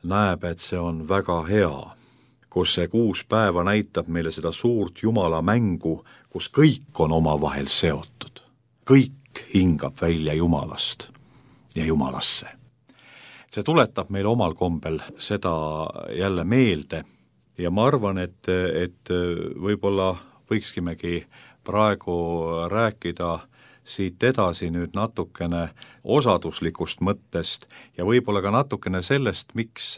näeb, et see on väga hea, kus see 6 päeva näitab meile seda suurt Jumala mängu, kus kõik on omavahel seotud. Kõik hingab välja Jumalast ja Jumalasse. See tuletab meile omal kombel seda jälle meelde ja ma arvan, et võib-olla võikskimegi praegu rääkida siit edasi nüüd natukene osaduslikust mõttest ja võib-olla ka natukene sellest, miks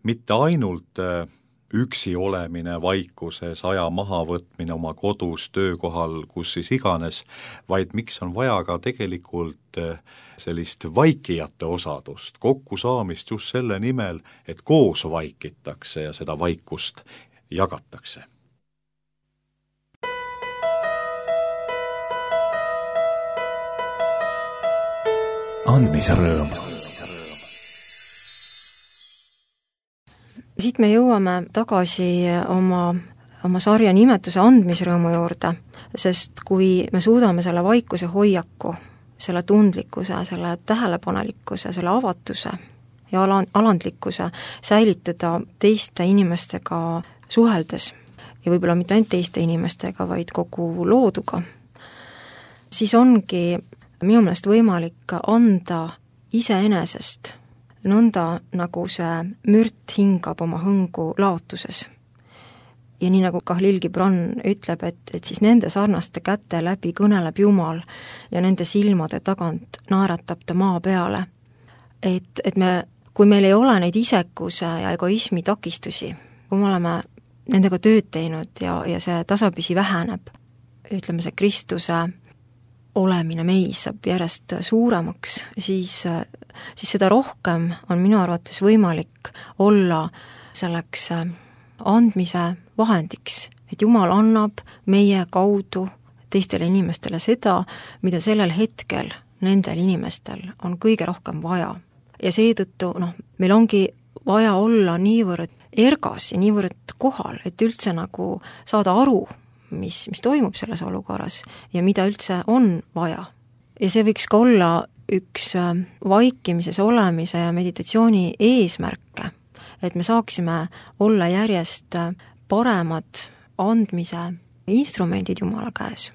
mitte ainult üksi olemine vaikuses, aja mahavõtmine oma kodus, töökohal, kus siis iganes, vaid miks on vaja ka tegelikult sellist vaikijate osadust, kokkusaamist just selle nimel, et koos vaikitakse ja seda vaikust jagatakse. Andmisrõõm. Siit me jõuame tagasi oma sarja nimetuse andmisrõõmu juurde, sest kui me suudame selle vaikuse hoiaku, selle tundlikkuse, selle tähelepanelikkuse, selle avatuse ja alandlikkuse säilitada teiste inimestega suheldes ja võib-olla mitte ainult teiste inimestega, vaid kogu looduga, siis ongi minu meelest võimalik anda iseenesest nõnda, nagu see mürt hingab oma hõngu laotuses. ja nii nagu Kahlil Gibran ütleb, et siis nende sarnaste käte läbi kõneleb Jumal ja nende silmade tagant naeratab ta maa peale. Et kui meil ei ole neid isekuse ja egoismi takistusi, kui me oleme nendega tööd teinud ja see tasapisi väheneb, ütleme see Kristuse olemine meis saab järjest suuremaks, siis seda rohkem on minu arvates võimalik olla selleks andmise vahendiks, et Jumal annab meie kaudu teistele inimestele seda, mida sellel hetkel nendel inimestel on kõige rohkem vaja. Ja seetõttu meil ongi vaja olla niivõrd ergas ja niivõrd kohal, et üldse nagu saada aru, mis toimub selles olukorras ja mida üldse on vaja. Ja see võiks ka olla üks vaikimises olemise ja meditatsiooni eesmärke, et me saaksime olla järjest paremad andmise instrumendid Jumala käes.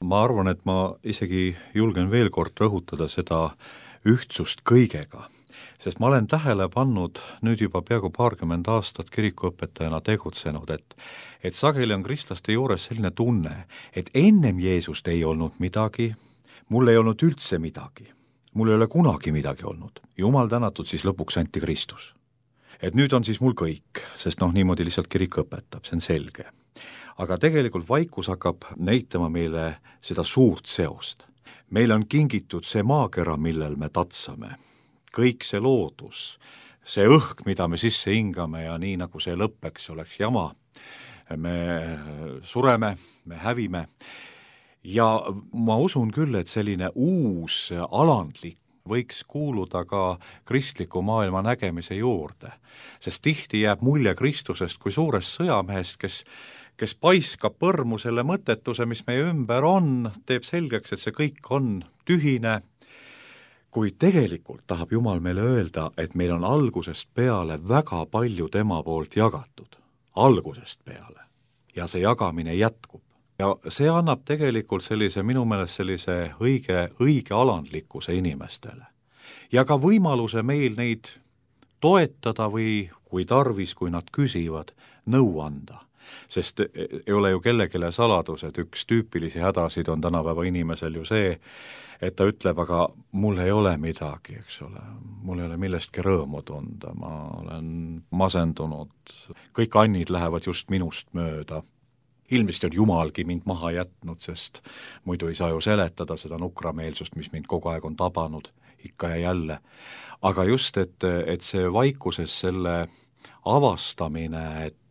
Ma arvan, et ma isegi julgen veel kord rõhutada seda ühtsust kõigega, sest ma olen tähele pannud nüüd juba peaaegu 20 aastat kirikuõpetajana tegutsenud, et sageli on kristlaste juures selline tunne, et ennem Jeesust ei olnud midagi, mul ei olnud üldse midagi, mul ei ole kunagi midagi olnud. Jumal tänatud, siis lõpuks anti Kristus. Et nüüd on siis mul kõik, sest niimoodi lihtsalt kirik õpetab, see on selge. Aga tegelikult vaikus hakkab näitama meile seda suurt seost. Meil on kingitud see maakera, millel me tatsame. Kõik see loodus, see õhk, mida me sisse hingame ja nii nagu see lõppeks oleks jama. Me sureme, me hävime ja ma usun küll, et selline uus alandlik võiks kuuluda ka kristliku maailma nägemise juurde, sest tihti jääb mulje Kristusest kui suurest sõjamehest, kes paiskab põrmu selle mõttetuse, mis meie ümber on, teeb selgeks, et see kõik on tühine, kuid tegelikult tahab Jumal meile öelda, et meil on algusest peale väga palju tema poolt jagatud. Algusest peale. Ja see jagamine jätkub. Ja see annab tegelikult minu meelest sellise õige alandlikkuse inimestele. Ja ka võimaluse meil neid toetada või kui tarvis, kui nad küsivad, nõu anda. Sest ei ole ju kellegile saladus, et üks tüüpilisi hädasid on tänapäeva inimesel ju see, et ta ütleb, aga mul ei ole midagi, eks ole, mul ei ole millestki rõõmu tunda, ma olen masendunud, kõik annid lähevad just minust mööda. Ilmselt on Jumalgi mind maha jätnud, sest muidu ei saa ju seletada seda nukrameelsust, mis mind kogu aeg on tabanud, ikka ja jälle. Aga just, et see vaikuses selle avastamine, et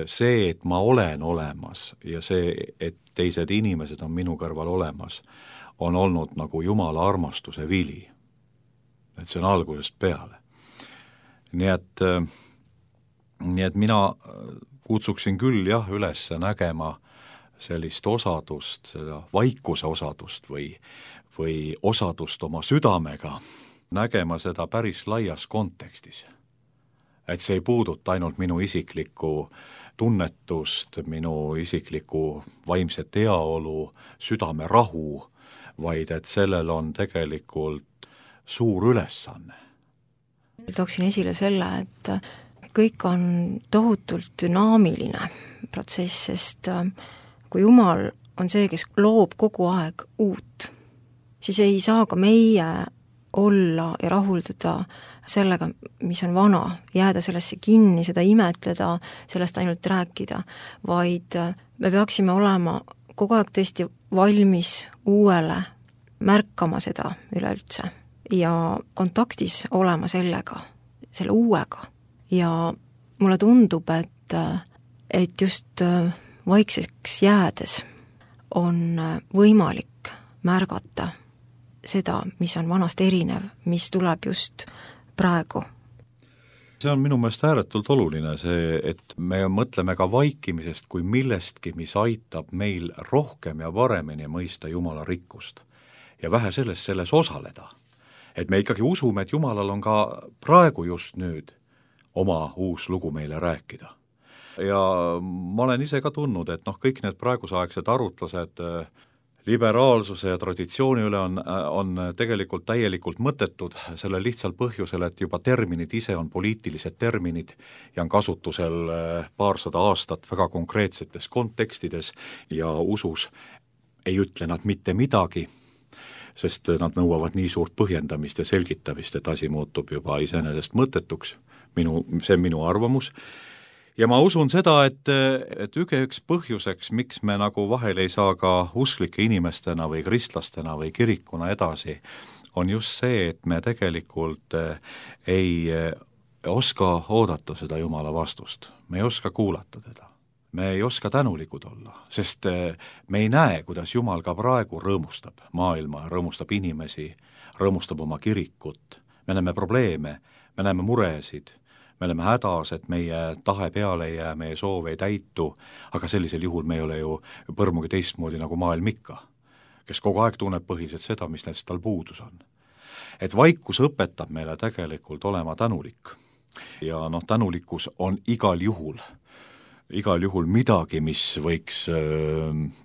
see, et ma olen olemas ja see, et teised inimesed on minu kõrval olemas, on olnud nagu Jumala armastuse vili. Et see on algusest peale. Nii et mina kutsuksin küll üles nägema sellist osadust, seda vaikuse osadust või osadust oma südamega, nägema seda päris laias kontekstis. Et see ei puuduta ainult minu isiklikku tunnetust, minu isiklikku vaimset heaolu, südame rahu, vaid et sellel on tegelikult suur ülesanne. Tooksin esile selle, et kõik on tohutult dünaamiline protsess, sest kui Jumal on see, kes loob kogu aeg uut, siis ei saa ka meie olla ja rahulduda sellega, mis on vana, jääda sellesse kinni, seda imetleda, sellest ainult rääkida, vaid me peaksime olema kogu aeg tõesti valmis uuele, märkama seda üleüldse ja kontaktis olema sellega, selle uuega. Ja mulle tundub, et just vaikseks jäädes on võimalik märgata seda, mis on vanast erinev, mis tuleb just praegu. See on minu meelest ääretult oluline see, et me mõtleme ka vaikimisest kui millestki, mis aitab meil rohkem ja paremini mõista Jumala rikkust ja vähe selles osaleda. Et me ikkagi usume, et Jumalal on ka praegu just nüüd oma uus lugu meile rääkida. Ja ma olen ise ka tundnud, et kõik need praegusaegsed arutlused liberaalsuse ja traditsiooni üle on tegelikult täielikult mõttetud sellel lihtsal põhjusel, et juba terminid ise on poliitilised terminid ja on kasutusel paarsada aastat väga konkreetsetes kontekstides ja usus ei ütle nad mitte midagi, sest nad nõuavad nii suurt põhjendamist ja selgitamist, et asi muutub juba iseenesest mõttetuks, see on minu arvamus. Ja ma usun seda, et üks põhjuseks, miks me nagu vahel ei saa ka usklike inimestena või kristlastena või kirikuna edasi, on just see, et me tegelikult ei oska oodata seda Jumala vastust. Me ei oska kuulata teda. Me ei oska tänulikud olla, sest me ei näe, kuidas Jumal ka praegu rõõmustab maailma, rõõmustab inimesi, rõõmustab oma kirikut. Me näeme probleeme, me näeme muresid, me oleme hädas, et meie tahe peale ei jää, meie soov ei täitu, aga sellisel juhul me ei ole ju põrmugi teistmoodi nagu maailm ikka, kes kogu aeg tunneb põhiliselt seda, mis neist tal puudus on. Et vaikus õpetab meile tegelikult olema tänulik. Ja tänulikkus on igal juhul midagi, mis võiks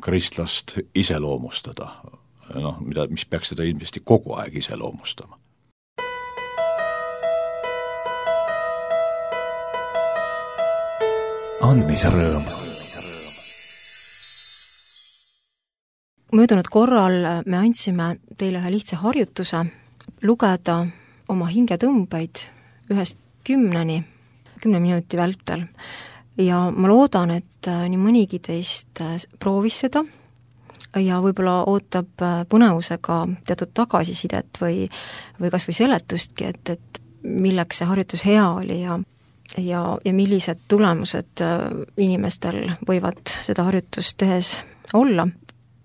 kristlast iseloomustada, mis peaks seda ilmselt kogu aeg iseloomustama. Andmisrõõm. Möödunud korral me andsime teile ühe lihtsa harjutuse lugeda oma hingetõmbeid 1–10 minuti vältel. Ja ma loodan, et nii mõnigi teist proovis seda ja võib-olla ootab põnevusega teatud tagasisidet või kas või seletustki, et milleks see harjutus hea oli ja millised tulemused inimestel võivad seda harjutust tehes olla.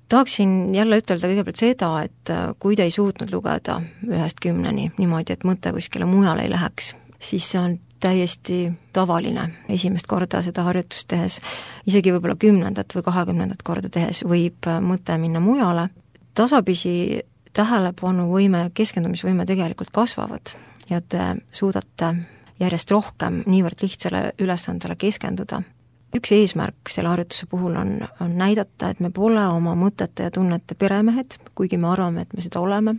Tahaksin jälle ütelda kõigepealt seda, et kui te ei suutnud lugeda 1–10 niimoodi, et mõte kuskile mujale ei läheks, siis see on täiesti tavaline esimest korda seda harjutust tehes, isegi võib-olla 10. või 20. korda tehes võib mõte minna mujale. Tasapisi tähelepanuvõime ja keskendumisvõime tegelikult kasvavad ja te suudate järjest rohkem niivõrd lihtsale ülesandele keskenduda. Üks eesmärk selle harjutuse puhul on näidata, et me pole oma mõtete ja tunnete peremehed, kuigi me arvame, et me seda oleme.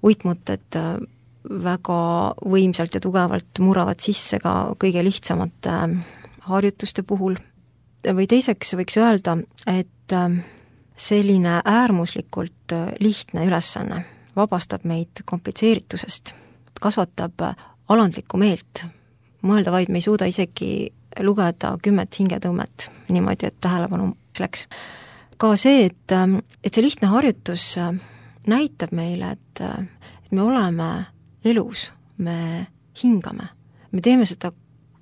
Uitmõtted väga võimsalt ja tugevalt muravad sisse ka kõige lihtsamate harjutuste puhul. Või teiseks võiks öelda, et selline äärmuslikult lihtne ülesanne vabastab meid komplitseeritusest, kasvatab alandlikku meelt. Mõelda vaid me ei suuda isegi lugeda 10 hingetõmmet niimoodi, et tähelepanu läks. Ka see, et see lihtne harjutus näitab meile, et me oleme elus, me hingame. Me teeme seda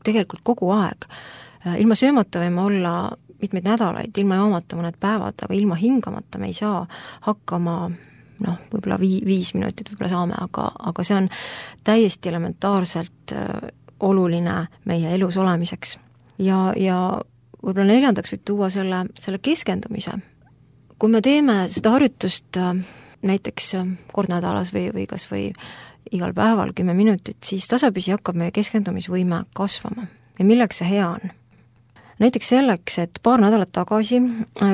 tegelikult kogu aeg. Ilma söömata võime olla mitmeid nädalaid, ilma joomata mõned päevad, aga ilma hingamata me ei saa hakkama võib-olla 5 minutit võib-olla saame, aga see on täiesti elementaarselt oluline meie elus olemiseks. Ja võib-olla 4. võib tuua selle keskendumise. Kui me teeme seda harjutust näiteks kord nädalas või kas või igal päeval 10 minutit, siis tasapisi hakkab meie keskendumisvõime kasvama. Ja milleks see hea on? Näiteks selleks, et paar nädalat tagasi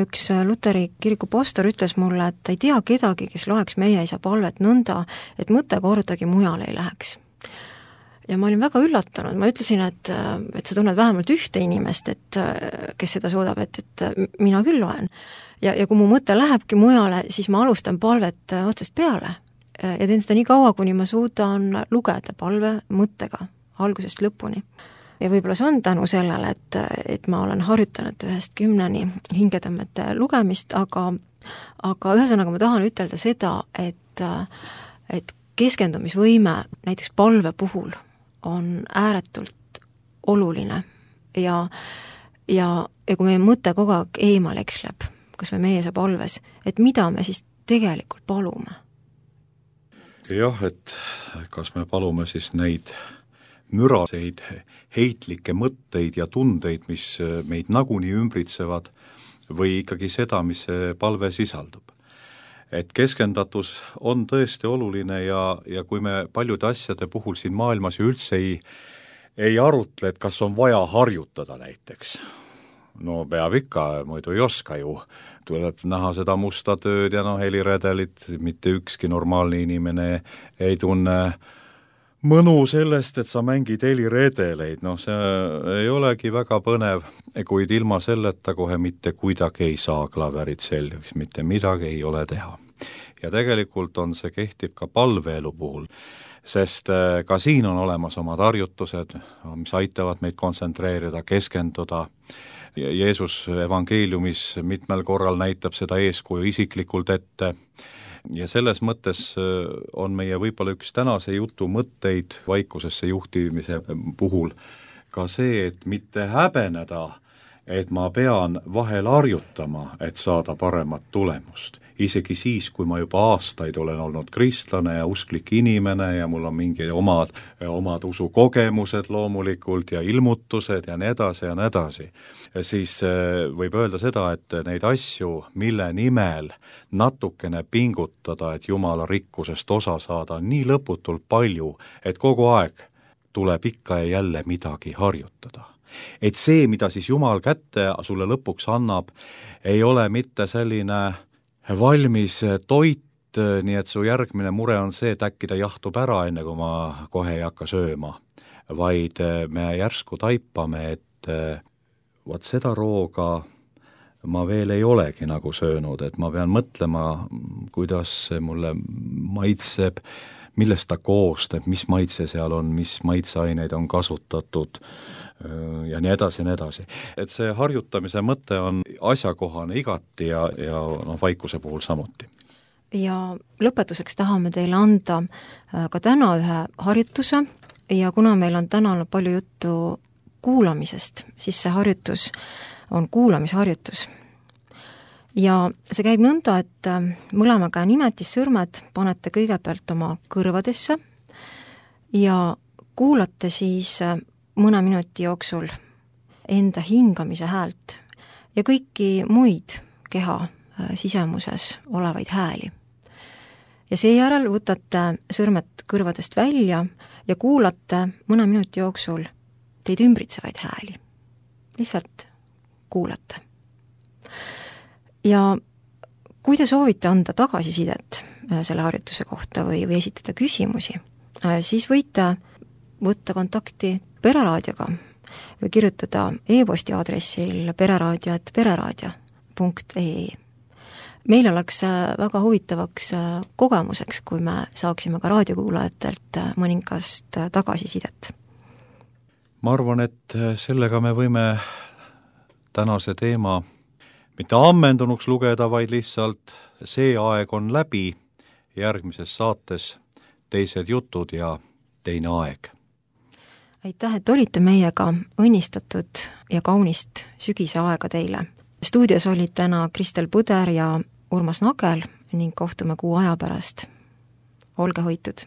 üks Luteri kiriku pastor ütles mulle, et ta ei tea kedagi, kes loeks meie isa palvet nõnda, et mõte kordagi mujale ei läheks. Ja ma olin väga üllatunud, ma ütlesin, et sa tunned vähemalt ühte inimest, kes seda suudab, et mina küll loen. Ja kui mu mõte lähebki mujale, siis ma alustan palvet otsast peale ja teen seda nii kaua, kuni ma suudan lugeda palve mõttega algusest lõpuni. Ja võib-olla see on tänu sellele, et ma olen harjutanud 1–10 hingetõmmete lugemist, aga ühesõnaga ma tahan ütelda seda, et keskendumisvõime näiteks palve puhul on ääretult oluline ja kui meie mõte kogu aeg eemal eksleb, kas või meie saab palves, et mida me siis tegelikult palume? Jah, et kas me palume siis neid müraseid, heitlikke mõtteid ja tundeid, mis meid nagunii ümbritsevad, või ikkagi seda, mis see palve sisaldub. Et keskendatus on tõesti oluline ja kui me paljude asjade puhul siin maailmas ju üldse ei arutle, et kas on vaja harjutada näiteks. no peab ikka, muidu ei oska ju. Tuleb näha seda musta tööd ja heliredelit, mitte ükski normaalne inimene ei tunne mõnu sellest, et sa mängid heliredeleid, see ei olegi väga põnev, kuid ilma selleta kohe mitte kuidagi ei saa klaverit selgeks, mitte midagi ei ole teha. Ja tegelikult see kehtib ka palveelu puhul, sest ka siin on olemas omad harjutused, mis aitavad meid kontsentreerida, keskenduda. Jeesus evangeeliumis mitmel korral näitab seda eeskuju isiklikult ette ja selles mõttes on meie võib-olla üks tänase jutu mõtteid vaikusesse juhtimise puhul ka see, et mitte häbeneda, et ma pean vahel harjutama, et saada paremat tulemust. Isegi siis, kui ma juba aastaid olen olnud kristlane ja usklik inimene ja mul on mingi omad usukogemused loomulikult ja ilmutused ja nii edasi, siis võib öelda seda, et neid asju, mille nimel natukene pingutada, et Jumala rikkusest osa saada, on nii lõputult palju, et kogu aeg tuleb ikka ja jälle midagi harjutada. Et see, mida siis Jumal kätte sulle lõpuks annab, ei ole mitte selline valmis toit, nii et su järgmine mure on see, et äkki ta jahtub ära, enne kui ma kohe ei hakka sööma, vaid me järsku taipame, et vot seda rooga ma veel ei olegi nagu söönud, et ma pean mõtlema, kuidas see mulle maitseb, millest ta koostab, mis maitse seal on, mis maitseaineid on kasutatud ja nii edasi. Et see harjutamise mõte on asjakohane igati ja vaikuse puhul samuti. Ja lõpetuseks tahame teile anda ka täna ühe harjutuse ja kuna meil on täna palju juttu kuulamisest, siis see harjutus on kuulamisharjutus. Ja see käib nõnda, et mõlema käe nimetissõrmed panete kõigepealt oma kõrvadesse ja kuulate siis mõne minuti jooksul enda hingamise häält ja kõiki muid keha sisemuses olevaid hääli. Ja seejärel võtate sõrmed kõrvadest välja ja kuulate mõne minuti jooksul teid ümbritsevaid hääli. Lihtsalt kuulate. Ja kui te soovite anda tagasisidet selle harjutuse kohta või esitada küsimusi, siis võite võtta kontakti Pereraadioga või kirjutada e-posti aadressil pereraadio@pereraadio.ee. Meil oleks väga huvitavaks kogemuseks, kui me saaksime ka raadiokuulajatelt mõningast tagasisidet. Ma arvan, et sellega me võime tänase teema mitte ammendunuks lugeda, vaid lihtsalt see aeg on läbi, järgmises saates teised jutud ja teine aeg. Aitäh, et olite meiega, õnnistatud ja kaunist sügise aega teile. Stuudios olid täna Kristel Põder ja Urmas Nagel ning kohtume kuu aja pärast. Olge hoitud!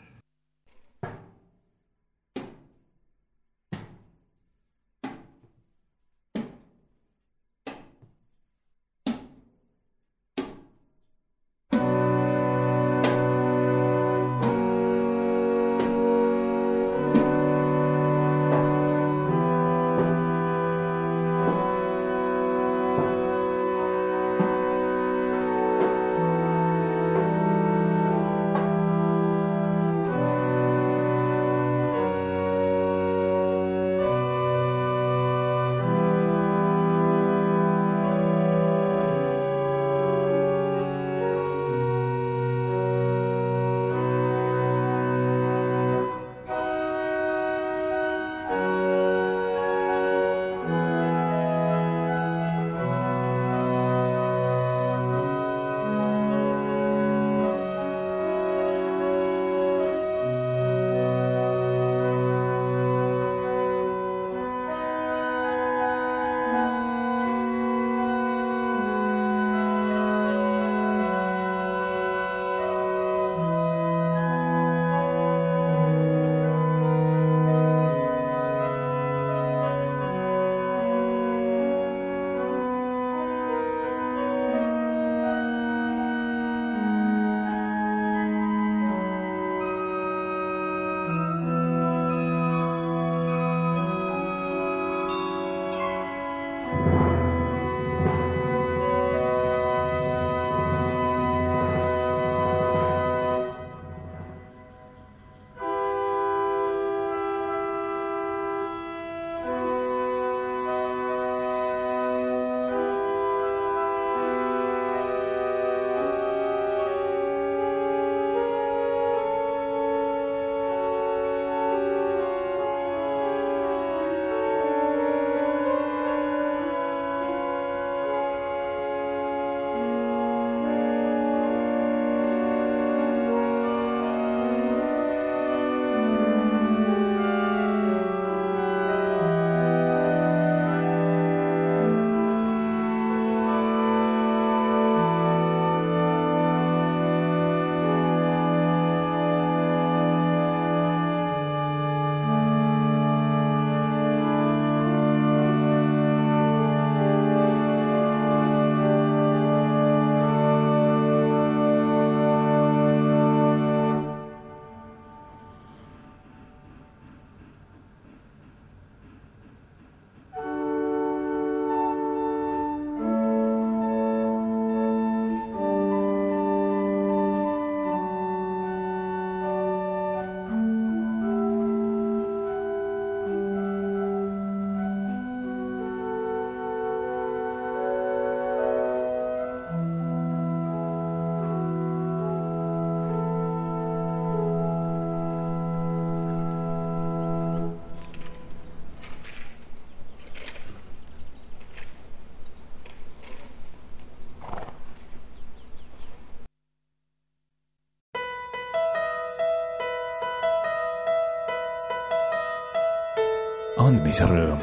andmise rõõm.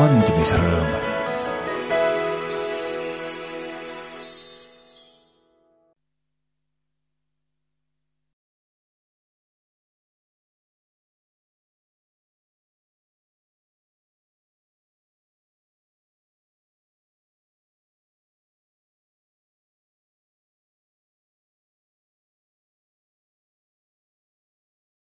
andmisrõõm.